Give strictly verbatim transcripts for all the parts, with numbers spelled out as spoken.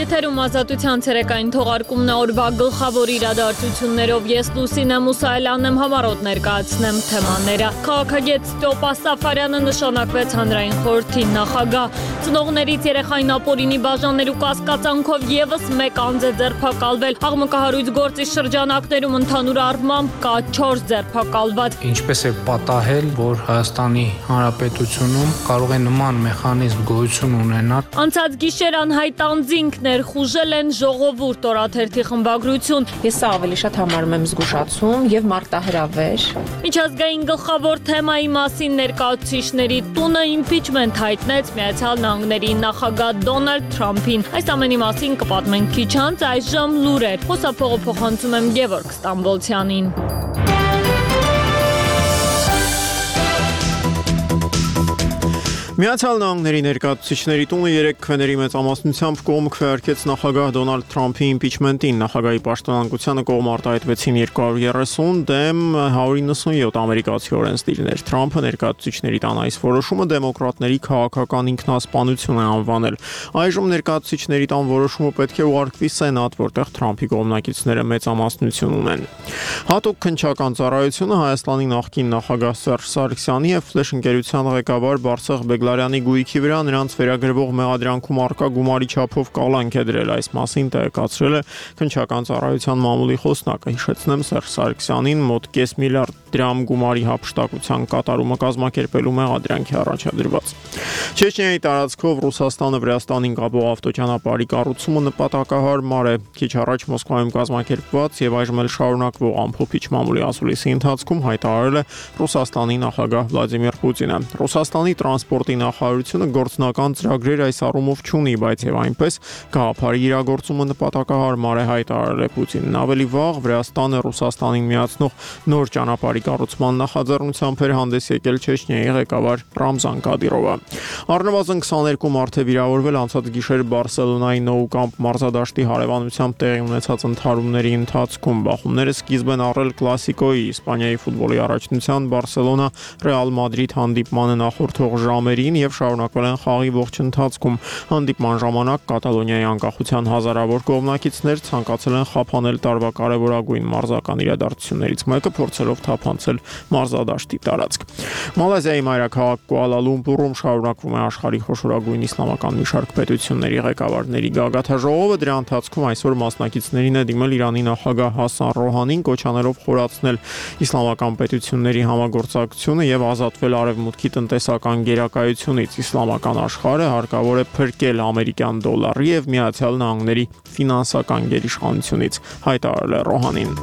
Եթերում ազատության ցերեկային թողարկումն է օրվա գլխավոր իրադարձություններով ես Լուսինե Մուսայելյանն եմ համառոտ ներկայացնեմ թեմաները։ Քաղաքագետ Ստյոպա Սաֆարյանը նշանակվեց հանրային խորհրդի նախագահ։ Ծնողներից երեխային ապօրինի բաժանելու կասկածանքով եւս մեկ անձ է ձերբակալվել։ Աղմկահարույց գործի շրջանակներում ընդհանուր առմամբ կա չորս ձերբակալված։ Ինչպես է պատահել, որ Հայաստանի Հանրապետությունում կարող է նման մեխանիզմ գոյություն ունենալ։ Անցած գիշեր անհայտ անձինք ներխուժել են ժողովուրդ օրաթերթի խմբագրություն։ Ես սա ավելի շատ համարում եմ զգուշացում եւ մարտահրավեր։ Միջազգային գլխավոր թեմայի մասին ներկայացուցիչների տունը իմպիչմենտ հայտնեց Միացյալ Նահանգների նախագահ Դոնալդ Թրամփին։ Այս ամենի մասին կպատմենք քիչ անց, այժմ լուրեր։ Խոսափողը փոխանցում եմ Գևորգ Ստամբոլցյանին։ Միացյալ Նահանգների ներկայացուցիչների տունը երեք քվեների մեծամասնությամբ կողմ քվեարկեց նախագահ Դոնալդ Թրամփի իմպիչմենտին։ Նախագահի պաշտոնանկությանը կողմ արտահայտվեցին երկու հարյուր երեսուն դեմ հարյուր իննսունյոթ ամերիկացի օրենսդիրներ։ Թրամփը ներկայացուցիչների տան այս որոշումը դեմոկրատների քաղաքական ինքնասպանություն է անվանել։ Այժմ ներկայացուցիչների տան որոշումը պետք է ուղարկվի Սենատ, որտեղ Թրամփի կողմնակիցները մեծամասնություն ունեն։ Հատուկ քննչական ծառայությունը Հայաստանի նախկին նախագահ Սերժ Սարգսյանի եւ Ֆլեշ ընկերության ղեկավար Բարսեղ Բեգլարյանի գույքի վրա նրանց վերագրվող մեղադրանքում առկա գումարի չափով կալանք է դրել։ Այս մասին տեղեկացրել է քննչական ծառայության մամուլի խոսնակը։ Հիշեցնեմ, Սերժ Սարգսյանին մոտ կես միլիարդ դրամ գումարի հափշտակության կատարումը կազմակերպելու մեղադրանք է առաջադրված։ Չեչնիայի տարածքով Ռուսաստանը Վրաստանին կապող ավտոճանապարհի կառուցումը նպատակահարմար է։ Քիչ առաջ Մոսկվայում կազմակերպված եւ այժմ էլ շարունակվող ամփոփիչ մամուլի ասուլիսի ընթացքում հայտարարել է Ռուսաստանի նախագահ Վլադիմիր Պուտինը։ Ռուսաստանի տրանսպորտի նախարարությունը գործնական ծրագրեր այս առումով չունի, բայց եւ այնպես գաղափարի իրագործումը նպատակահարմար է, հայտարարել է Պուտինն։ Ավելի վաղ Վրաստանը Ռուսաստանին միացնող նոր ճանապարհի կառուցման նախաձեռնությամբ էր հանդես եկել Չեչնիայի ղեկավար Ռամզան Կադիրովը։ Առնվազն քսաներկու մարդ է վիրավորվել անցած գիշեր Բարսելոնայի Nou Camp մարզադաշտի հարևանությամբ տեղի ունեցած ընդհարումների ընթացքում։ Բախումները սկիզբ են առել կլասիկոյի Իսպանիայի ֆուտբոլի առաջնության Բարսելոնա Ռեալ Մադրիդ հանդիպմանը նախորդող ժամերին եւ շարունակվել են խաղի ողջ ընթացքում։ Հանդիպման ժամանակ Կատալոնիայի անկախության հազարավոր կողմնակիցներ ցանկացել են խափանել տարվա կարևորագույն մարզական իրադարձություններից մեկը, փորձելով թափանցել մարզադաշտի տարածք։ Մալազիայի մայրաքաղաք Կուալա Լումպուրում շարունակվում է աշխարհի խոշորագույն իսլամական մի շարք պետությունների ղեկավարների գագաթաժողովը։ Դրա ընթացքում այսօր մասնակիցներին է դիմել Իրանի նախագահ Հասան Ռոհանին, կոչանելով խորացնել իսլամական պետությունների համագործակցությունը եւ ազատվել արևմուտքի տնտեսական գերակայությունից։ Իսլամական աշխարհը հարկավոր է փրկել ամերիկյան դոլարի եւ Միացյալ Նահանգների ֆինանսական գերիշխանությունից, հայտարարել է Ռոհանին։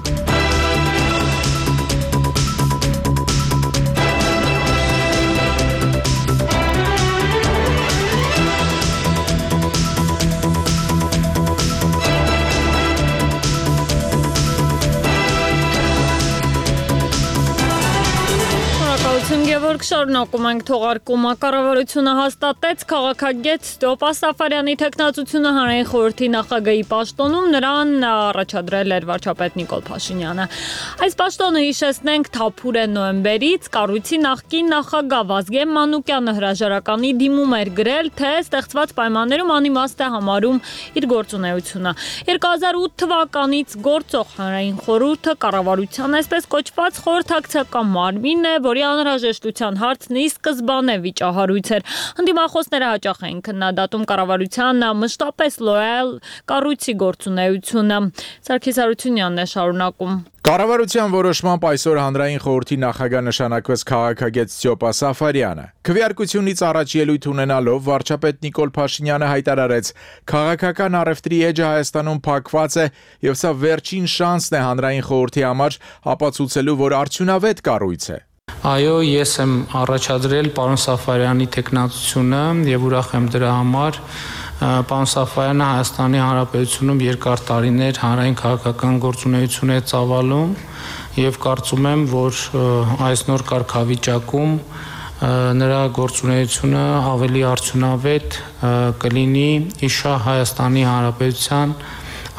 Գևորգ, շարունակում ենք թողարկումը։ Կառավարությունը հաստատեց քաղաքագետ Ստյոպա Սաֆարյանի թեկնածությունը հանրային խորհրդի նախագահի պաշտոնում, նրան առաջադրել էր վարչապետ Նիկոլ Փաշինյանը։ Այս պաշտոնը, հիշեցնենք, թափուր է նոյեմբերից, կառույցի նախկին նախագահ Վազգեն Մանուկյանը հրաժարականի դիմում էր գրել, թե ստեղծված պայմաններում անիմաստ է համարում իր գործունեությունը։ երկու հազար ութ թվականից գործող հանրային խորհուրդը կառավարության այսպես կոչված խորհրդակցական մարմին է, որի անհրաժեշտության հարցն ի սկզբանե վիճահարույց էր։ Ընդդիմախոսները հաճախ էին քննադատում կառավարության մշտապես լոյալ կառույցի գործունեությունը։ Սարգիս Հարությունյանն է շարունակում։ Կառավարության որոշմամբ այսօր հանրային խորհրդի նախագահ նշանակվեց քաղաքագետ Ստյոպա Սաֆարյանը։ Քվեարկությունից առաջ ելույթ ունենալով վարչապետ Նիկոլ Փաշինյանը հայտարարեց. «Քաղաքական առևտրի էջը Հայաստանում փակված է եւ սա վերջին շանսն է հանրային խորհրդի համար ապացուցելու, որ արդյունավետ կառույց է»։ Այո, ես եմ առաջադրել պարոն Սաֆարյանի թեկնածությունը եւ ուրախ եմ դրա համար։ Պարոն Սաֆարյանը Հայաստանի Հանրապետությունում երկար տարիներ հանրային քաղաքական գործունեություն է ծավալում եւ կարծում եմ, որ այս նոր կարգավիճակում նրա գործունեությունը ավելի արդյունավետ կլինի իշա Հայաստանի Հանրապետության,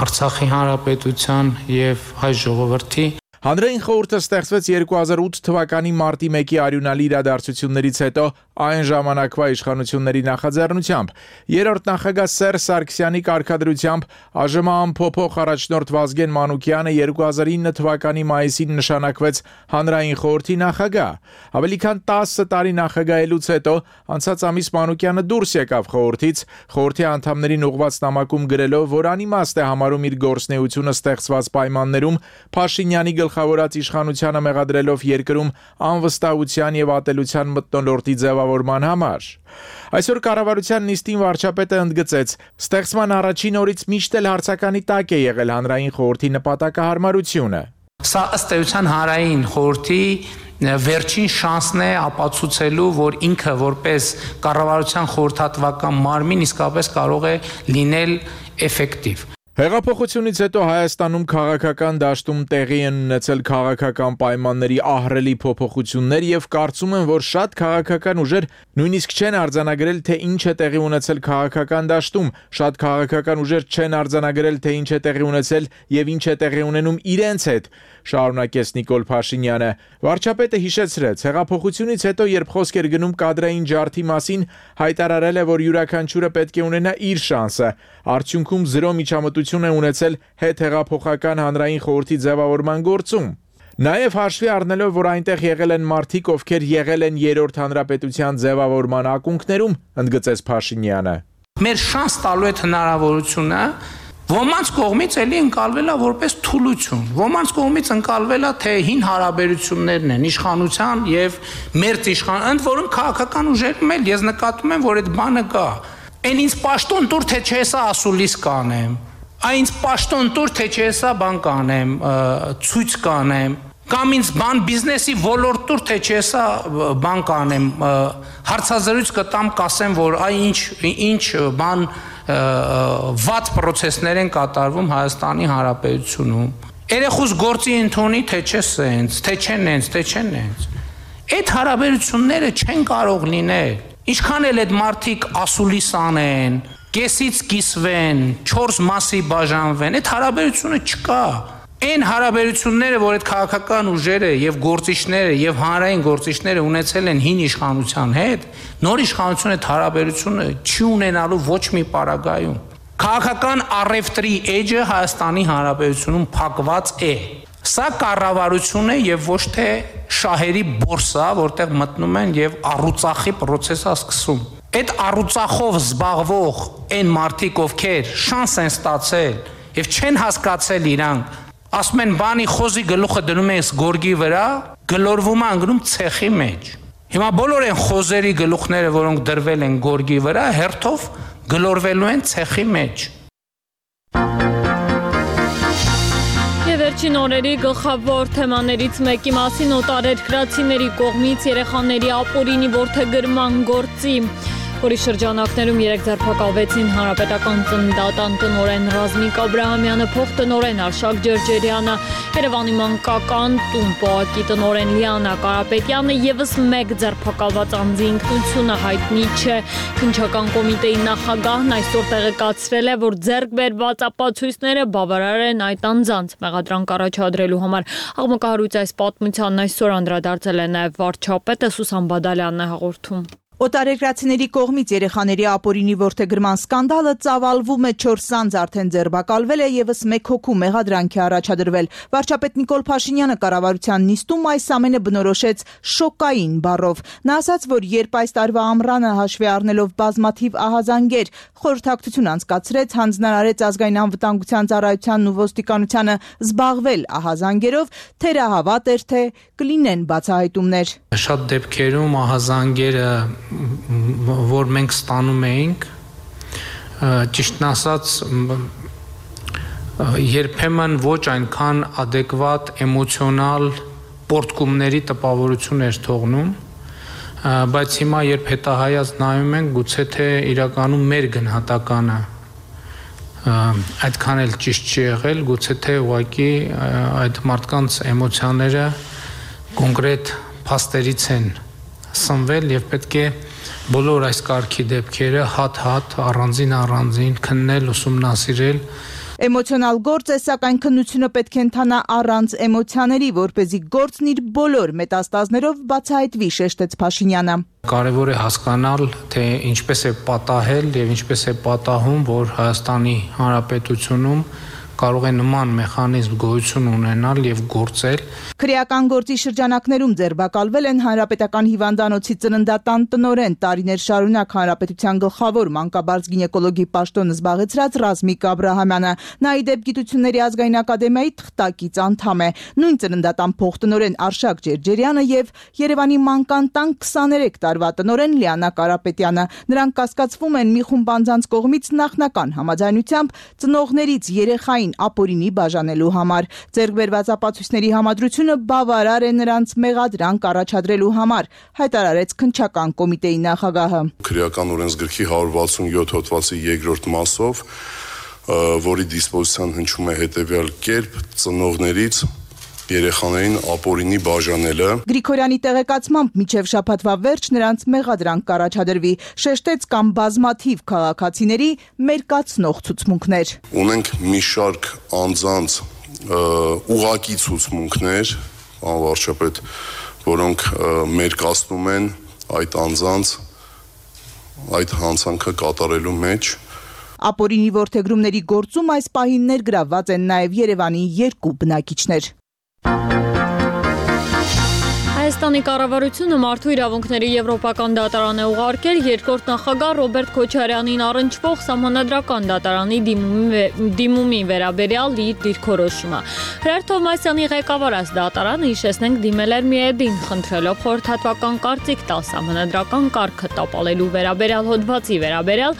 Արցախի Հանրապետության եւ հայ ժողովրդի Հանրային խորհուրդը ստեղծվեց երկու հազար ութ թվականի մարտի մեկի արյունալի իրադարձություններից հետո այն ժամանակվա իշխանությունների նախաձեռնությամբ։ Երրորդ նախագահ Սերժ Սարգսյանի կարգադրությամբ ԱԺՄ ամփոփող առաջնորդ Վազգեն Մանուկյանը երկու հազար ինը թվականի մայիսին նշանակվեց Հանրային խորհրդի նախագահ։ Ավելի քան տասը տարի նախագահելուց հետո անցած ամիս Մանուկյանը դուրս եկավ խորհրդից, խորհրդի անդամներին ուղղված նամակում գրելով, որ անիմաստ է համարում իր գործունեությունը ստեղծված պայմաններում Փաշինյանի գլխավորած իշխանությանը մեղադրելով երկրում անվստահության եւ ատելության մթնոլորտի ձևավորման համար։ Այսօր կառավարության նիստին վարչապետը ընդգծեց, ստեղծման առաջին օրից միշտ էլ հարցականի տակ է եղել Հանրային խորհրդի նպատակահարմարությունը։ Սա ըստ էության Հանրային խորհրդի վերջին շանսն է ապացուցելու, որ ինքը որպես կառավարության խորհրդատվական մարմին իսկապես կարող է լինել էֆեկտիվ։ Հեղափոխությունից հետո Հայաստանում քաղաքական դաշտում տեղի են ունեցել քաղաքական պայմանների ահռելի փոփոխություններ եւ կարծում եմ, որ շատ քաղաքական ուժեր նույնիսկ չեն արձանագրել, թե ինչ է տեղի ունեցել քաղաքական դաշտում, շատ քաղաքական ուժեր չեն արձանագրել, թե ինչ է տեղի ունեցել եւ ինչ է տեղի ունենում իրենց հետ, շարունակեց Նիկոլ Փաշինյանը։ Վարչապետը հիշեցրեց, հեղափոխությունից հետո, երբ խոսք էր գնում կադրային ջարդի մասին, հայտարարել է, որ յուրաքանչյուրը պետք է ունենա իր շանսը։ Արդյունքում զրո միջամտություն է ունեցել հետհեղափոխական հանրային խորհրդի ձևավորման գործում։ Նաև հաշվի առնելով, որ այնտեղ եղել են մարդիկ, ովքեր եղել են երրորդ հանրապետության ձևավորման ակունքներում, ընդգծեց Փաշինյանը։ Մեր շանս տալու այդ հնարավորությունը ոմանց կողմից էլի ընկալվել է որպես թուլություն, ոմանց կողմից ընկալվել է, թե հին հարաբերություններն են իշխանության եւ մերձ իշխան, ընդ որում քաղաքական ուժերում էլ ես նկատում եմ, որ այդ բանը կա։ Այն ինձ պաշտոն տուր, թե չէ սա ասուլիս կանեմ, այն ինձ պաշտոն տուր, թե չէ սա բան կանեմ, ցույց կանեմ, կամ ինձ բան բիզնեսի ոլորտ տուր, թե չէ սա բան կանեմ, հարցազրույց կտամ, կասեմ, որ այ ինչ ինչ բան վատ պրոցեսներ են կատարվում Հայաստանի Հանրապետությունում։ Երեխուս գործի ընդունի, թե չէ սենց, թե չէ նենց, թե չէ նենց։ Այդ հարաբերությունները չեն կարող լինել։ Ինչքան էլ այդ մարդիկ ասուլիս անեն, կեսից կիսվեն, չորս մասի բաժանվեն, այդ հարաբերությունը չկա։ Այն հարաբերությունները, որ այդ քաղաքական ուժերը եւ գործիչները եւ հանրային գործիչները ունեցել են հին իշխանության հետ, նոր իշխանությունը այդ հարաբերությունը չի ունենալու ոչ մի պարագայում։ Քաղաքական առևտրի էջը Հայաստանի Հանրապետությունում փակված է։ Սա կառավարություն է եւ ոչ թե շահերի բորսա, որտեղ մտնում են եւ առուծախի process-ը սկսում։ Այդ առուծախով զբաղվող այն մարդիկ, ովքեր շանս են ստացել եւ չեն հասկացել իրանք, ասում են բանի խոզի գլուխը դնում ես գորգի վրա, գլորվում է անգնում ցեխի մեջ։ Հիմա բոլոր այն խոզերի գլուխները, որոնք դրվել են գորգի վրա, հերթով գլորվելու են ցեխի մեջ։ Եվ վերջին օրերի գլխավոր թեմաներից մեկի մասին օտարերկրացիների կողմից երեխաների ապօրինի որդեգրման գործի, որի շրջանակներում երեք ձերբակալվեցին հանրապետական ծննդատան տնօրեն Ռազմիկ Աբրահամյանը, փոխտնօրեն Արշակ Ջերջերյանը, Երևանի մանկական տուն ՊՕԱԿ-ի տնօրեն Լիանա Կարապետյանը, եւս մեկ ձերբակալված անձի ինքնությունը հայտնի չէ։ Քննչական կոմիտեի նախագահն այսօր տեղեկացրել է, որ ձեռք բերված ապացույցները բավարար են այդ անձանց մեղադրանք առաջադրելու համար։ Աղմկահարույց այս պատմությանն այսօր անդրադարձել է նաեւ վարչապետը Սուսան Բադալյանն է հաղորդում։ Օտարերկրացիների կողմից երեխաների ապօրինի որդեգրման սկանդալը ծավալվում է, չորս անձ արդեն ձերբակալվել է, եւս մեկ հոգու մեղադրանք է առաջադրվել։ Վարչապետ Նիկոլ Փաշինյանը կառավարության նիստում այս ամենը բնորոշեց շոկային բառով։ Նա ասաց, որ երբ այս տարվա ամռանը հաշվի առնելով բազմաթիվ ահազանգեր, խորհրդակցություն անցկացրեց, հանձնարարեց ազգային անվտանգության ծառայությանն ու ոստիկանությանը զբաղվել ահազանգերով, թերահավատ էր, թե կլինեն բացահայտումներ։ Շատ դեպքերում ահազանգերը, որ մենք ստանում էինք, ճիշտն ասած, երբեմն ոչ այնքան adekvat էմոցիոնալ պորտկումների տպավորություն էր թողնում, բայց հիմա երբ հետահայաց նայում ենք, գուցե թե իրականում մեր գնահատականը այդքան էլ ճիշտ չի եղել, գուցե թե ուղղակի այդ մարդկանց էմոցիաները կոնկրետ փաստերից են սնվել եւ պետք է բոլոր այս կարգի դեպքերը հատ-հատ առանձին առանձին քննել, ուսումնասիրել։ Էմոցիոնալ գործ է, սակայն քննությունը պետք է ընթանա առանց էմոցիաների, որպեսզի գործն իր բոլոր մետաստազներով բացահայտվի, շեշտեց Փաշինյանը։ Կարևոր է հասկանալ, թե ինչպես է պատահել եւ ինչպես է պատահում, որ Հայաստանի Հանրապետությունում կարող է նման մեխանիզմ գոյություն ունենալ եւ գործել։ Քրեական գործի շրջանակներում ձերբակալվել են Հանրապետական հիվանդանոցի ծննդատան տնօրեն, տարիներ շարունակ Հանրապետության գլխավոր մանկաբարձ գինեկոլոգի պաշտոնը զբաղեցրած Ռազմիկ Աբրահամյանը, նա ի դեպ Գիտությունների ազգային ակադեմիայի թղթակից անդամ է, նույն ծննդատան փոխտնօրեն Արշակ Ջերջերյանը եւ Երևանի մանկան տան քսաներեք տարվա տնօրեն Լիանա Կարապետյանը։ Նրանք կասկածվում են մի խումբ անձանց կողմից նախնական համաձայնությամբ ծնողներից երեխային ապօրինի բաժանելու համար։ Ձեռք բերված ապացույցների համադրությունը բավարար է նրանց մեղադրանք առաջադրելու համար, հայտարարեց քննչական կոմիտեի նախագահը։ Քրեական օրենսգրքի հարյուր վաթսունյոթ հոդվածի երկրորդ մասով, որի դիսպոզիցիան հնչում է հետևյալ կերպ, ծնողներից երեխաներին ապօրինի բաժանելը։ Գրիգորյանի տեղեկացմամբ մինչև շաբաթվա վերջ նրանց մեղադրանք կառաջադրվի, շեշտեց կամ բազմաթիվ քաղաքացիների մերկացնող ցուցմունքներ։ Ունենք մի շարք անձանց ուղղակի ցուցմունքներ, պարոն վարչապետ, որոնք մերկացնում են այդ անձանց այդ հանցանքը կատարելու մեջ։ Ապօրինի որդեգրումների գործում այս պահին ներգրավված են նաև Երևանի երկու բնակիչներ։ Հայաստանի կառավարությունը Մարդու իրավունքների եվրոպական դատարան է ուղարկել երկրորդ նախագահ Ռոբերտ Քոչարյանին առնչվող սահմանադրական դատարանի դիմումի վերաբերյալ իր դիրքորոշումը։ Հրեր Թովմասյանի ղեկավարած դատարանը, հիշեցնենք, դիմել էր Միեդին, խնդրելով խորհրդատվական կարծիք տալ սահմանադրական կարգը տապալելու վերաբերյալ հոդվածի վերաբերյալ,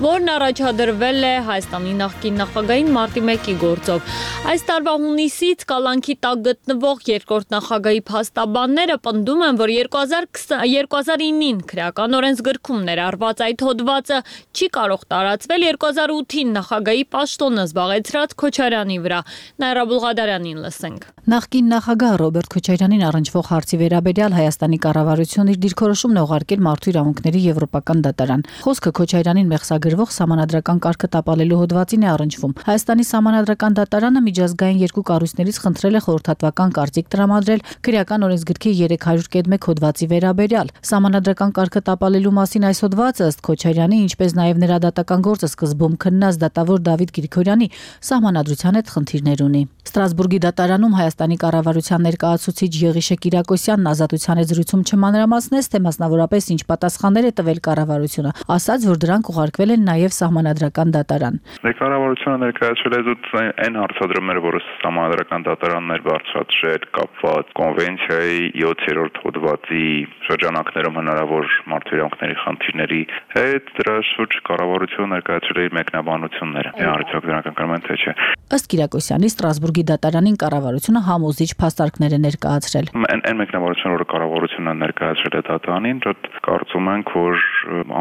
որն առաջադրվել է Հայաստանի նախկին նախագահին մարտի մեկի գործով։ Այս տարվա հունիսից կալանքի տակ գտնվող երկրորդ նախագահի փաստաբանները պնդում են, որ երկու հազար ինին քրեական օրենսգրքում ներառված այդ հոդվածը չի կարող տարածվել երկու հազար ութին նախագահի պաշտոնը զբաղեցրած Քոչարյանի վրա։ Նաիրա Բուլղադարյանին լսենք։ Նախկին նախագահ Ռոբերտ Քոչարյանին առնչվող հարցի վերաբերյալ Հայաստանի կառավարությունը իր դիրքորոշումն է ուղարկել Մարդու իրավունքների եվրոպական դատարան։ Խոսքը Քոչարյանին մեղսագրվող սահմանադրական կարգը տապալելու հոդվածին է առնչվում։ Հայաստանի սահմանադրական դատարանը միջազգային երկու կառույցներից խնդրել է խորհրդատվական կարծիք տրամադրել քրեական օրենսգրքի երեք հարյուր կեդմեկ հոդվածի վերաբերյալ։ Սահմանադրական կարգը տապալելու մասին այս հոդվածը ըստ Քոչարյանի, ինչպես նաև նրա դատական գործը սկզբում քննած դատավոր Դավիթ Գրիգորյանի սահմանադրության հետ խնդիրներ ունի։ Ստրասբուրգի դատարանում Հայաստանի կառավարության ներկայացուցիչ Եղիշե Կիրակոսյանն ազատության հետ զրույցում չմանրամասնեց, թե մասնավորապես ինչ պատասխաններ է տվել կառավարությունը, ասաց, որ դրանք ուղարկվել են նաև սահմանադրական դատարան։ Կառավարությունը ներկայացրել է զուտ այն հարցադրումները, որը սահմանադրական դատարանն էր բարձրացրել կապված կոնվենցիայի յոթերորդ հոդվածի շրջանակներում հնարավոր մարդու իրավունքների խնդիրների հետ, դրա շուրջ կառավարությունը ներկայացրել է իր մեկնաբանությունները։ Արդյոք դրանք կրում են թե չէ։ Ըստ Կիրակոսյանի, Ստրասբուրգի դատարանին կառավարությունը համոզիչ փաստարկներ է ներկայացրել։ Այն մեկնաբանությունը, որը կառավարությունը ներկայացրել է դատարանին, դեռ կարծում ենք, որ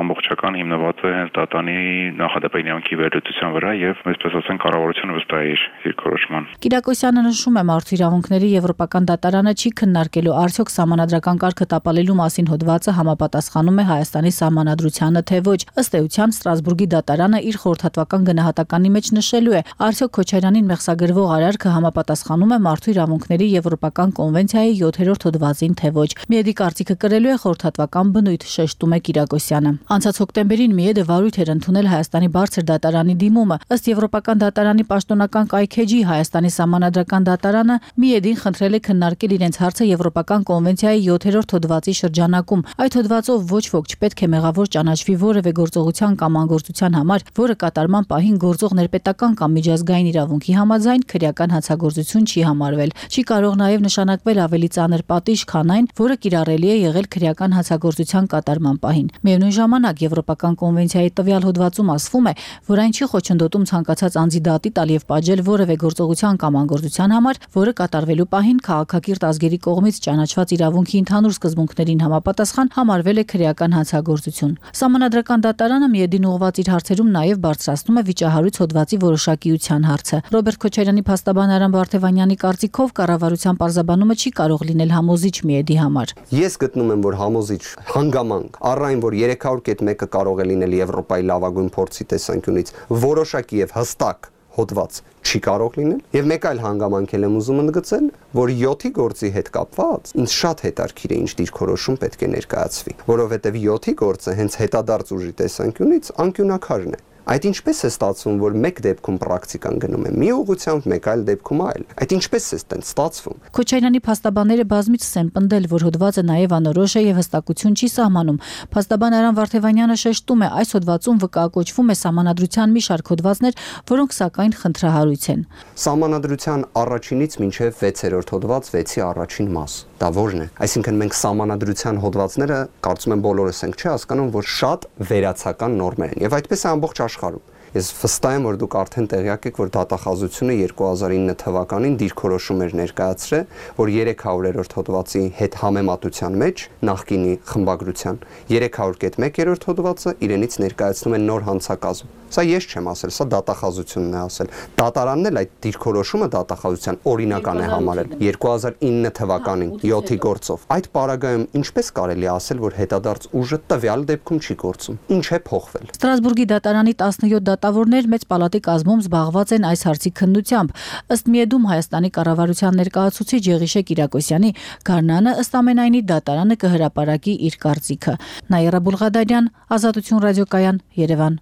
ամբողջական հիմնված է հենց դատարանի նախադեպի իրավունքի վերլուծության վրա եւ այսպես ասենք կառավարությունը վստահ է իր դիրքորոշման։ Կիրակոսյանը նշում է, Մարդու իրավունքների եվրոպական դատարանը չի քննարկելու արդյոք սահմանադրական կարգը տապալելու մասին հոդվածը համապատասխանում է Հայաստանի սահմանադրությանը, թե ոչ։ Ըստ էության Ստրասբուրգի դատարանը իր խորհրդատվական գնահատականի մեջ նշելու է, արդյոք Քոչարյանին մեղսագրվող արարքը համապատասխանում է Մարդու իրավունքների եվրոպական կոնվենցիայի յոթերորդ հոդվածին, թե ոչ։ Միեդի կարծիքը կրելու է խորհրդատվական բնույթ, շեշտում է Կիրակոսյանը։ Անցած հոկտեմբերին Միեդը վարույթ էր ընդունել Հայաստանի բարձր դատարանի դիմումը։ Ըստ Եվրոպական դատարանի պաշտոնական կայքեջի Հայաստանի սահմանադրական դատարանը Միեդին խնդրել է քննարկել իրենց հարցը Եվրոպական կոնվենցիայի յոթերորդ հոդվածի շրջանակում։ Այդ հոդվածով ոչ ոք չպետք է մեղավոր ճանաչվի որևէ գործողության կամ անգործության համար, որը կատարման պահին գործող ներպետական կամ միջազգային իրավունքի համաձայն քրեական հանցագործություն չի համարվել։ Չի կարող նաև նշանակվել ավելի ծանր պատիժ, քան այն, որը կիրառելի է եղել քրեական հանցագործության կատարման պահին։ Միևնույն ժամանակ Եվրոպական կոնվենցիայի տվյալ հոդվածում ասվում է, որ այն չի խոչընդոտում ցանկացած անձի դատի տալ եւ պատժել որևէ գործողության կամ անգործության համար, որը կատարվելու պահին քաղաքակիրթ ազգերի կողմից ճանաչված իրավունքի ընդհանուր սկզբունքներին համապատասխան համարվել է քրեական հանցագործություն։ Սահմանադրական դատարանը Միեդին ուղղված իր հարցերում նաև բարձրացնում է վիճահարույց հոդվածի որոշակիության հարցը։ Ռոբերտ Քոչարյանի փաստաբան Արամ Վարդևանյանի կարծիքով կառավարության պարզաբանումը չի կարող լինել համոզիչ Միեդի համար։ Ես գտնում եմ, որ համոզիչ հանգամանք առ այն, որ երեք հարյուր կետ մեկը կարող է լինել Եվրոպայի լավագույն փորձի տեսանկյունից որոշակի եւ հստակ հոդված չի կարող լինել, եւ մեկ այլ հանգամանք եմ ուզում ընդգծել, որ յոթի գործի հետ կապված ինձ շատ հետաքրքիր է ինչ դիրքորոշում պետք է ներկայացվի, որովհետեւ յոթի գործը հենց հետադարձ ուժի տեսանկյունից անկյունակարն է։ Այդ ինչպես է ստացվում, որ մեկ դեպքում պրակտիկան գնում է մի ուղղությամբ, մեկ այլ դեպքում այլ։ Այդ ինչպես է այդտեղ ստացվում։ Քոչարյանի փաստաբանները բազմիցս են պնդել, որ հոդվածը նաև անորոշ է եւ հստակություն չի սահմանում։ Փաստաբան Արամ Վարդևանյանը շեշտում է, այս հոդվածում վկայակոչվում է սահմանադրության մի շարք հոդվածներ, որոնք սակայն խնդրահարույց են։ Սահմանադրության առաջինից մինչև վեցերորդ հոդված վեցի առաջին մաս։ Դա ո՞րն է։ Այսինքն մենք սահմանադրության հոդվածները կարծում եմ բոլորս ենք չի հասկանում, որ շատ վերացական նորմեր են եւ այդպես է ամբողջ աշխարհում։ Ես վստահ եմ, որ դուք արդեն տեղյակ եք, որ դատախազությունը երկու հազար ինը թվականին դիրքորոշում էր ներկայացրել, որ երեք հարյուրերորդ հոդվածի հետ համեմատության մեջ նախկինի խմբագրության երեք հարյուր մեկերորդ հոդվածը իրենից ներկայացնում է նոր հանցակազմ։ Սա ես չեմ ասել, սա դատախազությունն է ասել։ Դատարանն էլ այդ դիրքորոշումը դատախազության օրինական է համարել երկու հազար ինը թվականին յոթի գործով։ Այդ պարագայում ինչպես կարելի է ասել, որ հետադարձ ուժը տվյալ դեպքում չի գործում։ Ինչ է փոխվել։ Ստրասբուրգի դատարանի տասնյոթ դատավորներ մեծ պալատի կազմում զբաղված են այս հարցի քննությամբ։ Ըստ Միեդում Հայաստանի կառավարության ներկայացուցիչ Եղիշե Կիրակոսյանի Գառնանը ըստ ամենայնի դատարանը կհրապարակի իր կարծիքը։ Նաիրա Բուլղադարյան, Ազատություն ռադիոկայան, Երևան։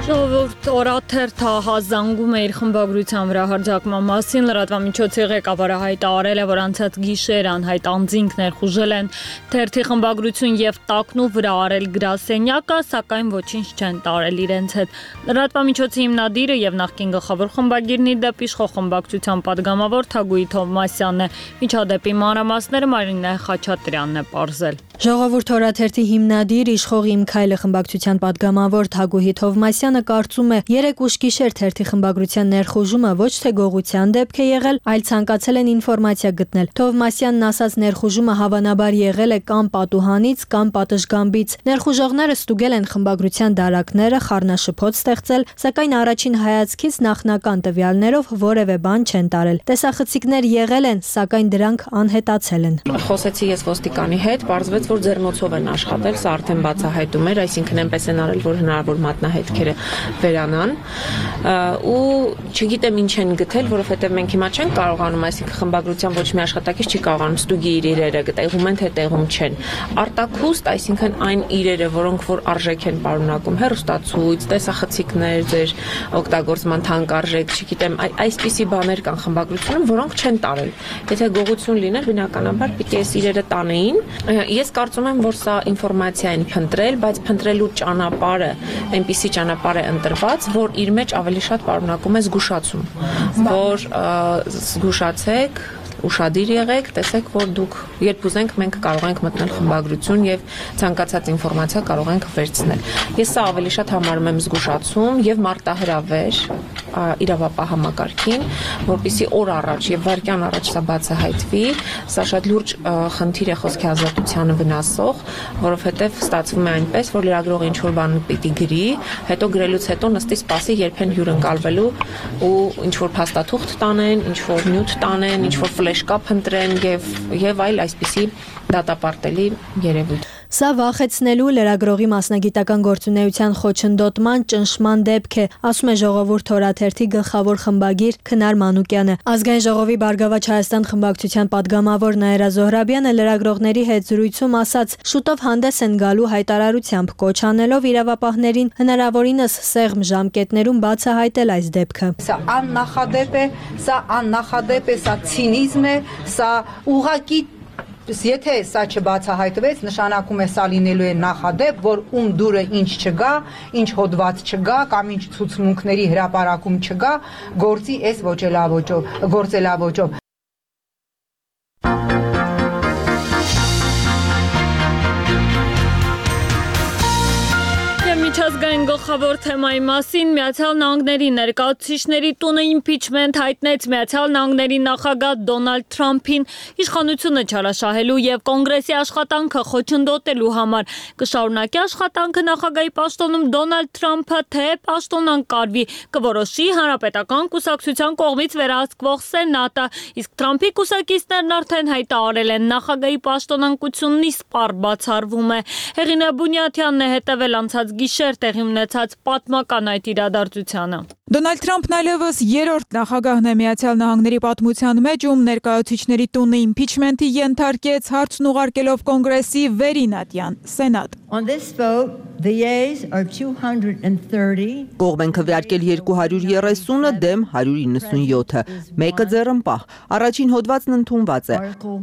Ժողովուրդ օրաթերթը հազանգում է իր խմբագրության վրա հարձակման մասին, լրատվամիջոցի ղեկավարը հայտարարել է, որ անցած գիշեր անհայտ անձինք ներխուժել են թերթի խմբագրություն եւ տակնու վրա արել գրասենյակը, սակայն ոչինչ չեն տարել իրենց հետ։ Լրատվամիջոցի հիմնադիրը եւ նախկին գլխավոր խմբագիրնի դեպ իշխող խմբակցության падգամավոր Թագուհի Թովմասյանն է։ Միջադեպի մանրամասները Մարինե Խաչատրյանն է պարզել։ Ժողովուրդ օրաթերթի հիմնադիր իշխող Իմ Քայլը խմբակցության падգամավոր Թագուհի Թովմասյանը կարծում է, երեք ուշ գիշեր թերթի խմբագրության ներխուժումը ոչ թե գողության դեպք է եղել, այլ ցանկացել են ինֆորմացիա գտնել։ Թովմասյանն ասաց, ներխուժումը հավանաբար եղել է կամ պատուհանից, կամ պատշգամբից։ Ներխուժողները ստուգել են խմբագրության դարակները, խառնաշփոթ ստեղծել, սակայն առաջին հայացքից նախնական տվյալներով որևէ բան չեն տարել։ Տեսախցիկներ եղել են, սակայն դրանք անհետացել են։ Խոսեցի ես ոստիկանի հետ, պարզվեց, որ ձեռնոցով են աշխատել, սա արդեն բացահայտում էր, այսինքն այնպես են արել, որ հնարավոր մատնահետքերը վերանան ու չգիտեմ ինչ են գտել, որովհետև մենք հիմա չենք կարողանում, այսինքն խմբագրության ոչ մի աշխատակից չի կարողանում ստուգի իր իրերը, տեղում են թե տեղում չեն։ Արտաքուստ, այսինքն այն իրերը, որոնք որ արժեք են պարունակում, հեռուստացույց, տեսախցիկներ, ձեր օգտագործման թանկարժեք, չգիտեմ, այսպիսի բաներ կան խմբագրությունում, որոնք չեն տարել։ Եթե գողություն լիներ, բնականաբար պիտի այս իրերը տանեին։ Ես կարծում եմ, որ սա ինֆորմացիա են փնտրել, բայց փնտրելու ճանապարհը այնպիսի ճանապարհ է ընտրված, որ իր մեջ ավելի շատ պարունակում է զգուշացում, որ զգուշացեք, ուշադիր եղեք, տեսեք, որ դուք երբ ուզենք մենք կարող ենք մտնել խմբագրություն եւ ցանկացած ինֆորմացիա կարող ենք վերցնել։ Ես սա ավելի շատ համարում եմ զգուշացում եւ մարտահրավեր իրավապահ համակարգին, որպեսզի օր առաջ եւ վայրկյան առաջ սա բացահայտվի, սա շատ լուրջ խնդիր է խոսքի ազատությանը վնասող, որովհետեւ ստացվում է այնպես, որ լրագրողը ինչ որ բան պիտի գրի, հետո գրելուց հետո նստի սպասի երբ են հյուրընկալվելու ու ինչ որ փաստաթուղթ տանեն, ինչ որ նյութ տանեն, ինչ որ ֆլեշկապ ընտրեն եւ եւ այլ այսպիսի դատապարտելի երևույթ։ Սա վախեցնելու լրագրողի մասնագիտական գործունեության խոչընդոտման ճնշման դեպք է, ասում է Ժողովուրդ օրաթերթի գլխավոր խմբագիր Քնար Մանուկյանը։ Ազգային ժողովի Բարգավաճ Հայաստան խմբակցության падգամավոր Նաիրա Զոհրաբյանը լրագրողների հետ զրույցում ասաց, շուտով հանդես են գալու հայտարարությամբ, կոչ անելով իրավապահներին հնարավորինս սեղմ ժամկետներում բացահայտել այս դեպքը։ Սա աննախադեպ է, սա աննախադեպ է, սա ցինիզմ է, սա ուղղակի Եթե սա չբացահայտվեց, նշանակում է սա լինելու է նախադեպ, որ ում դուրը ինչ չգա, ինչ հոդված չգա կամ ինչ ցուցմունքների հրապարակում չգա, գործի այս ոչելավոճով, գործելավոճով։ Միջազգային գլխավոր թեմայի մասին Միացյալ Նահանգների ներկայացուցիչների տունը իմպիչմենտ հայտնեց Միացյալ Նահանգների նախագահ Դոնալդ Թրամփին իշխանությունը չարաշահելու եւ կոնգրեսի աշխատանքը խոչընդոտելու համար։ Կշարունակի աշխատանքը նախագահի պաշտոնում Դոնալդ Թրամփը, թե պաշտոն անկարվի, կորոշի Հանրապետական կուսակցության կողմից վերահսկվող Սենատը, իսկ Թրամփի կուսակիցներն արդեն հայտարարել են նախագահի պաշտոնանկությունն իսպառ բացառվում է։ Հեղինե Բունյաթյանն է հետևել անցած գիշեր տեղի տեղի ունեցած պատմական այդ իրադարձությանը։ Դոնալդ Թրամփն այլևս երրորդ նախագահն է Միացյալ Նահանգների պատմության մեջ, ում ներկայացուցիչների տունը իմպիչմենթի ենթարկեց, հարցն ուղարկելով կոնգրեսի վերին ատյան սենատ։ On this vote, the yeas are two hundred thirty. Կողմ են քվեարկել երկու հարյուր երեսունը դեմ հարյուր իննսունյոթը, մեկը ձեռնպահ։ Առաջին հոդվածն ընդունված է։ Article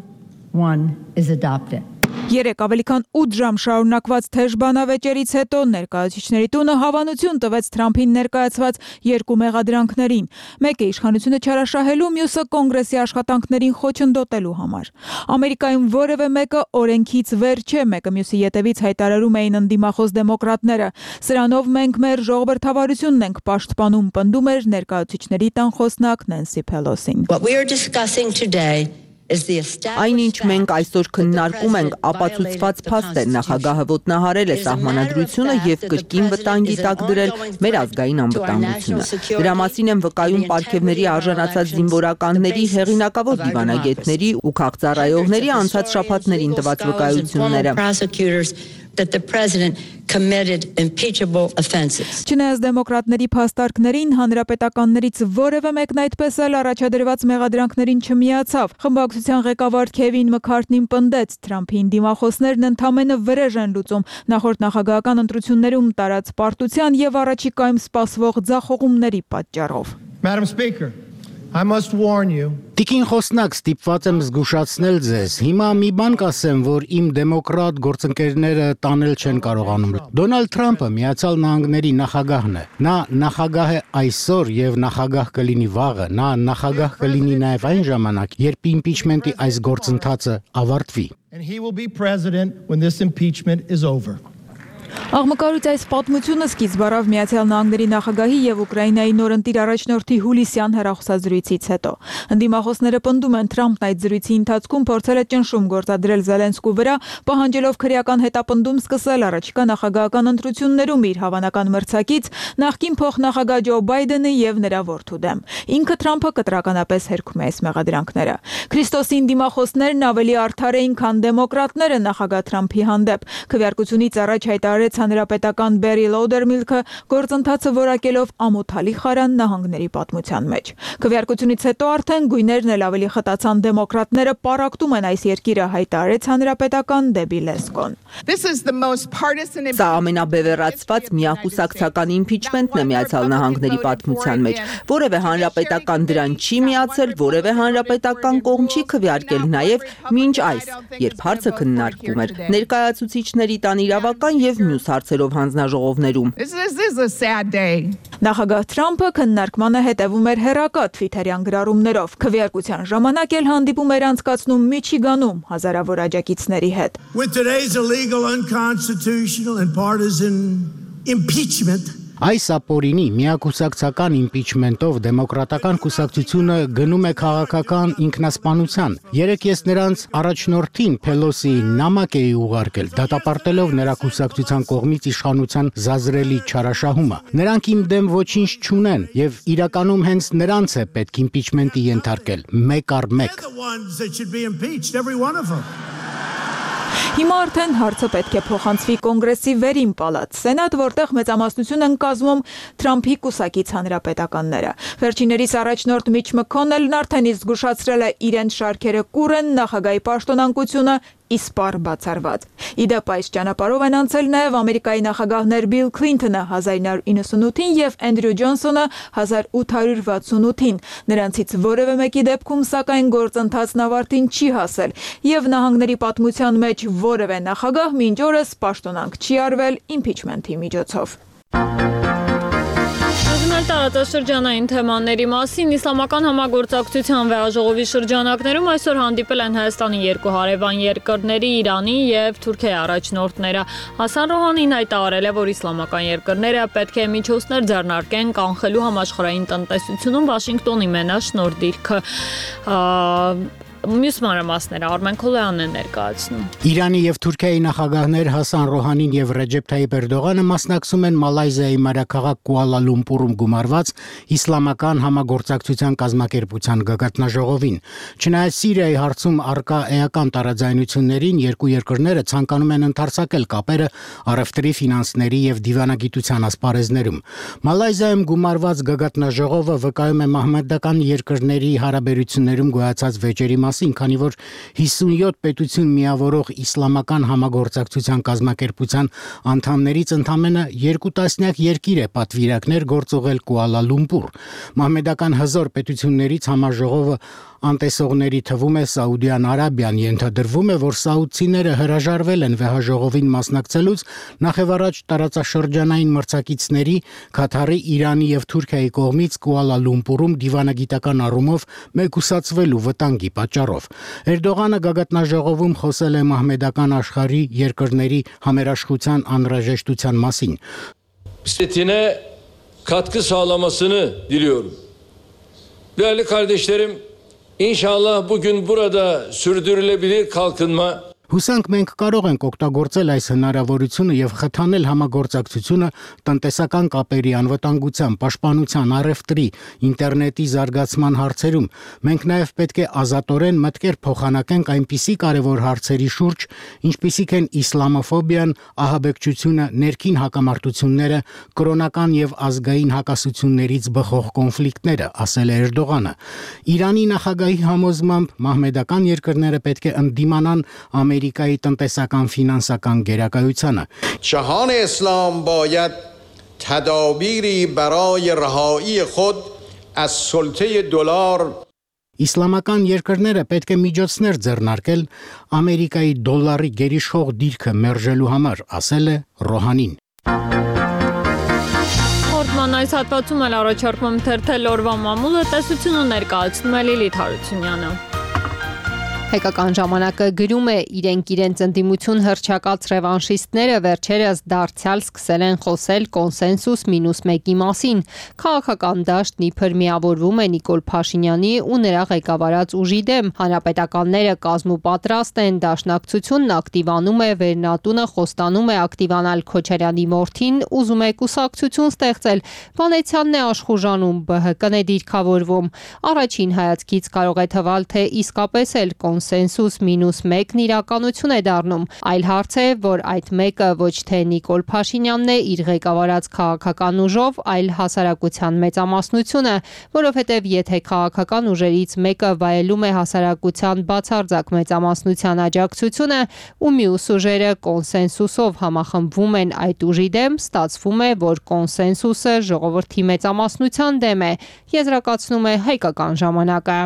one is adopted. Երեք ավելի քան ութ ժամ շարունակված թեժ բանավեճերից հետո ներկայացուցիչների տունը հավանություն տվեց Թրամփին ներկայացված երկու մեղադրանքներին։ Մեկը իշխանությունը չարաշահելու, մյուսը կոնգրեսի աշխատանքներին խոչընդոտելու համար։ Ամերիկայում որևէ մեկը օրենքից վեր չէ, մեկը մյուսի ետևից հայտարարում էին ընդդիմախոս դեմոկրատները։ Սրանով մենք մեր ժողովրդավարությունն ենք պաշտպանում, պնդում էր ներկայացուցիչների տան խոսնակ Նենսի Փելոսին։ What we are discussing today Այնինչ մենք այսօր քննարկում ենք ապացուցված փաստ է, նախագահը ոտնահարել է սահմանադրությունը եւ կրկին վտանգի տակ դրել մեր ազգային անվտանգությունը։ Դրա մասին են վկայում պարգևների արժանացած զինվորականների, հեղինակավոր դիվանագետների ու քաղծառայողների անցած շաբաթներին տված վկայությունները։ that the president committed impeachable offenses. Չնայած դեմոկրատների փաստարկներին, հանրապետականներից որևէ մեկն այդպես էլ առաջադրված մեղադրանքներին չմիացավ։ Խմբակցության ղեկավար Քևին Մքարթնին պնդեց, Թրամփին դիմախոսներն ընդամենը վրեժ են լուծում նախորդ նախագահական ընտրություններում տարած պարտության եւ առաջիկայում սպասվող ձախողումների պատճառով։ Madam Speaker, I must warn you. Տիկին խոսնակ, ստիպված եմ զգուշացնել ձեզ։ Հիմա մի բան կասեմ, որ իմ դեմոկրատ գործընկերները տանել չեն կարողանում։ Դոնալդ Թրամփը Միացյալ Նահանգների նախագահն է։ Նա նախագահ է այսօր եւ նախագահ կլինի վաղը։ Նա նախագահ կլինի նաեւ այն ժամանակ, երբ իմպիչմենտի այս գործընթացը ավարտվի։ And he will be president when this impeachment is over. Աղմկարույց այս պատմությունը սկիզբ առավ Միացյալ Նահանգների նախագահի եւ Ուկրաինայի նորընտիր առաջնորդի հուլիսյան հեռախոսազրույցից հետո։ Ընդդիմախոսները պնդում են, Թրամփն այդ զրույցի ընթացքում փորձել է ճնշում գործադրել Զելենսկու վրա, պահանջելով քրեական հետապնդում սկսել առաջիկա նախագահական ընտրություններում իր հավանական մրցակից նախկին փոխնախագահ Ջո Բայդենի եւ նրա որդու դեմ։ Ինքը Թրամփը կտրականապես հերքում է այս մեղադրանքները։ Քրիստոսի դիմախոսներն ավելի արդար էին, քան դեմոկրատները նախագահ Թրամփի հանդեպ։ Քվեարկությունից առաջ հայտարարեց հանրապետական Բերի Լոուդերմիլքը գործընթացը որակելով ամոթալի խարան նահանգների պատմության մեջ։ Քվեարկությունից հետո արդեն գույներն էլ ավելի խտացան, դեմոկրատները պարակտում են այս երկիրը, հայտարարեց հանրապետական Դեբի Լեսկոն։ Սա ամենաբևեռացված միակուսակցական իմպիչմենտն է Միացյալ Նահանգների պատմության մեջ։ Որևէ հանրապետական դրան չի միացել, որևէ հանրապետական կողմ չի քվեարկել, նաև մինչ այս, երբ հարցը քննարկվում էր ներկայացուցիչների տան իրավական եւ մյուս հարցերով հանձնաժողովներում։ Նախագահ Թրամփը քննարկմանը հետևում էր հերակա Թվիթերյան գրառումներով։ Քվեարկության ժամանակ էլ հանդիպում էր անցկացնում Միչիգանում հազարավոր աջակիցների հետ։ With today's illegal, unconstitutional and partisan impeachment. Այս ապօրինի միակուսակցական իմպիչմենտով դեմոկրատական կուսակցությունը գնում է քաղաքական ինքնասպանության։ Երեք ես նրանց առաջնորդին Փելոսի նամակ էի ուղարկել, դատապարտելով նրա կուսակցության կողմից իշխանության զազրելի չարաշահումը։ Նրանք իմ դեմ ոչինչ չունեն եւ իրականում հենց նրանց է պետք իմպիչմենտի ենթարկել, մեկ առ մեկ։ Հիմա արդեն հարցը պետք է փոխանցվի կոնգրեսի վերին պալատ, սենատ, որտեղ մեծամասնություն են կազմում Թրամփի կուսակից հանրապետականները։ Վերջիններիս առաջնորդ Միչ Մքոնելն արդեն իսկ զգուշացրել է իրենց շարքերը կուր են, նախագահի պաշտոնակությունը իսպառ բացառված։ Իդեպ այս ճանապարհով են անցել նաև Ամերիկայի նախագահներ Բիլ Քլինթոնը հազար ինը հարյուր իննսունութին եւ Էնդրյու Ջոնսոնը հազար ութ հարյուր վաթսունութին։ Նրանցից որևէ մեկի դեպքում սակայն գործընթացն ավարտին չի հասել եւ նահանգների պատմության մեջ որևէ նախագահ մինչ օրս պաշտոնանկ չի արվել իմպիչմենթի միջոցով։ Տարածաշրջանային թեմաների մասին իսլամական համագործակցության վեհաժողովի շրջանակներում այսօր հանդիպել են Հայաստանի երկու հարևան երկրների Իրանի եւ Թուրքիայի առաջնորդները։ Հասան Ռոհանին հայտարարել է, որ իսլամական երկրները պետք է միջոցներ ձեռնարկեն կանխելու համաշխարհային տնտեսությունում Վաշինգտոնի մենաշնորհ դիրքը։ Մյուս մանրամասները Արմեն Քոլյանն է ներկայացնում։ Իրանի եւ Թուրքիայի նախագահներ Հասան Ռոհանին եւ Ռեջեփ Թայիփ Էրդողանը մասնակցում են Մալայզիայի մայրաքաղաք Կուալա Լումպուրում գումարված իսլամական համագործակցության կազմակերպության գագաթնաժողովին։ Չնայած Սիրիայի հարցում առկա էական տարաձայնություններին, երկու երկրները ցանկանում են ընդարձակել կապերը առևտրի, ֆինանսների եւ դիվանագիտության ասպարեզներում։ Մալայզիայում գումարված գագաթնաժողովը վկայում է մահմեդական երկրների հարաբերություններում գոյացած վեճերի մասին, քանի որ հիսունյոթ պետություն միավորող իսլամական համագործակցության կազմակերպության անդամներից ընդամենը երկու տասնյակ երկիր է պատվիրակներ գործողել Կուալա Լումպուր։ Մահմեդական հզոր պետություններից համաժողովը անտեսողների թվում է Սաուդյան Արաբիան, ենթադրվում է, որ սաուդցիները հրաժարվել են վեհաժողովին մասնակցելուց նախևառաջ տարածաշրջանային մրցակիցների Քաթարի, Իրանի եւ Թուրքիայի կողմից Կուալա Լումպուրում դիվանագիտական առումով մեկուսացվելու վտանգի պատճառով։ Էրդողանը գագաթնաժողովում խոսել է մահմեդական աշխարհի երկրների համերաշխության անհրաժեշտության մասին։ Setine katkı sağlamasını diliyorum. Değerli kardeşlerim, İnşallah bugün burada sürdürülebilir kalkınma Հուսանք մենք կարող ենք օգտագործել այս հնարավորությունը եւ խթանել համագործակցությունը տնտեսական կապերի անվտանգության, պաշտպանության, առևտրի, ինտերնետի զարգացման հարցերում։ Մենք նաեւ պետք է ազատորեն մտքեր փոխանակենք այնպիսի կարևոր հարցերի շուրջ, ինչպիսիք են իսլամոֆոբիան, ահաբեկչությունը, ներքին հակամարտությունները, կրոնական եւ ազգային հակասություններից բխող կոնֆլիկտները, ասել է Էրդողանը։ Իրանի նախագահի համոզմամբ մահմեդական երկրները պետք է ընդդիմանան Ամերիկայի տնտեսական ֆինանսական գերակայությանը։ جهان اسلام باید تدابیری برای رهایی خود از سلطه دلار Իսլամական երկրները պետք է միջոցներ ձեռնարկել Ամերիկայի դոլարի գերիշխող դիրքը մերժելու համար, ասել է Ռոհանին։ Հորդման այս հատվածում էլ առաջարկում թերթել օրվա մամուլը տեսությունը ներկայացնում է Լիլիթ Հարությունյանը։ Հայկական ժամանակը գրում է իրենք իրենց ընդդիմություն հռչակած ռևանշիստները վերջերս դարձյալ սկսել են խոսել կոնսենսուս մինուս մեկի մասին։ Քաղաքական դաշտն իբր միավորվում է Նիկոլ Փաշինյանի ու նրա ղեկավարած ուժի դեմ։ Հանրապետականները կազմուպատրաստ են, դաշնակցությունն ակտիվանում է, Վերնատունը խոստանում է ակտիվանալ Քոչարյանի մորթին, ուզում է կուսակցություն ստեղծել։ Վանեցյանն է աշխուժանում, ԲՀԿ-ն է դիրքավորվում։ Առաջին հայացքից կարող է թվալ, թե իսկապես էլ կոնսենսուս մինուս մեկն իրականություն է դառնում։ Այլ հարց է, որ այդ մեկը ոչ թե Նիկոլ Փաշինյանն է իր ղեկավարած քաղաքական ուժով, այլ հասարակության մեծամասնությունը, որովհետև եթե քաղաքական ուժերից մեկը վայելում է հասարակության բացարձակ մեծամասնության աջակցությունը, ու մյուս ուժերը կոնսենսուսով համախմբվում են այդ ուժի դեմ, ստացվում է, որ կոնսենսուսը ժողովրդի մեծամասնության դեմ է, եզրակացնում է Հայկական ժամանակը։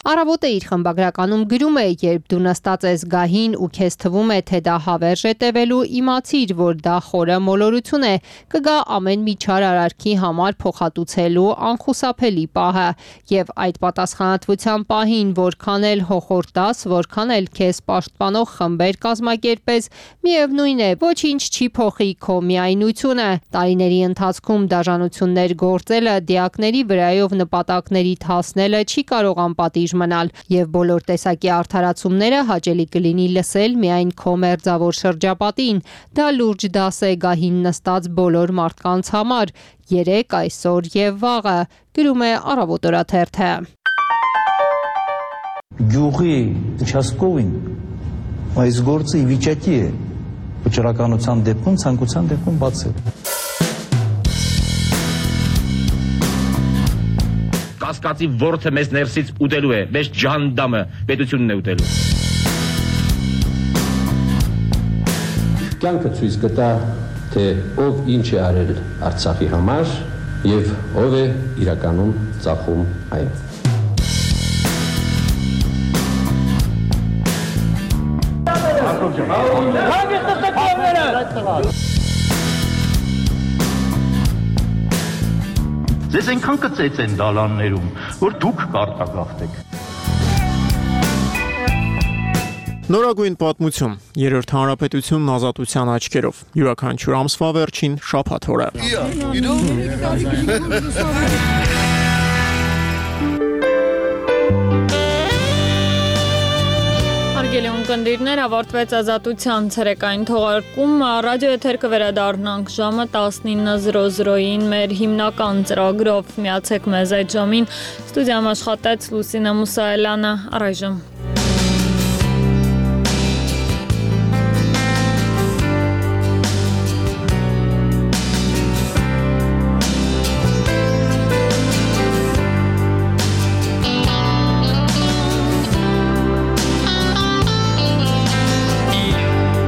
Առավոտը իր խմբագրականում գրում է, երբ դու նստած ես գահին ու քեզ թվում է, թե դա հավերժ է տևելու, իմացիր, որ դա խորը մոլորություն է, կգա ամեն մի չար արարքի համար փոխհատուցելու անխուսափելի պահը, եւ այդ պատասխանատվության պահին, որքան էլ հոխորտաս, որքան էլ քեզ պաշտպանող խմբեր կազմակերպես, միևնույն է, ոչինչ չի փոխի քո միայնությունը։ Տարիների ընթացքում դաժանություններ գործելը, դիակների վրայով նպատակների հասնելը չի կարող անպատիժ մնալ, եւ բոլոր տեսակի արդարացումները հաճելի կլինի լսել միայն քո մերձավոր շրջապատին։ Դա լուրջ դաս է գահին նստած բոլոր մարդկանց համար, երեք, այսօր եւ վաղը, գրում է Առավոտ օրաթերթը։ Գյուղի участковին այս գործը ի վիճակի է վճռականության դեպքում, ցանկության դեպքում բացել։ Կասկածի ворթը մեզ ներսից ուտելու է, մեզ ջանդամը պետությունն է ուտելու։ Կյանքը ցույց կտա, թե ով ինչ է արել Արցախի համար եւ ով է իրականում ծախում այն։ Ձեզ այնքան կծեց են դալաններում, որ դուք կարտագաղթեք։ Նորագույն պատմություն, երրորդ հանրապետությունն ազատության աչքերով, յուրաքանչյուր ամսվա վերջին շաբաթ օրը։ Հարգելի ունկնդիրներ, ավարտվեց Ազատության ցերեկային թողարկումը, ռադիո էթեր կվերադառնանք ժամը տասնինը զրո զրոյին մեր հիմնական ծրագրով, միացեք մեզ այդ ժամին, ստուդիայում աշխատեց Լուսինե Մուսայելյանը, առայժմ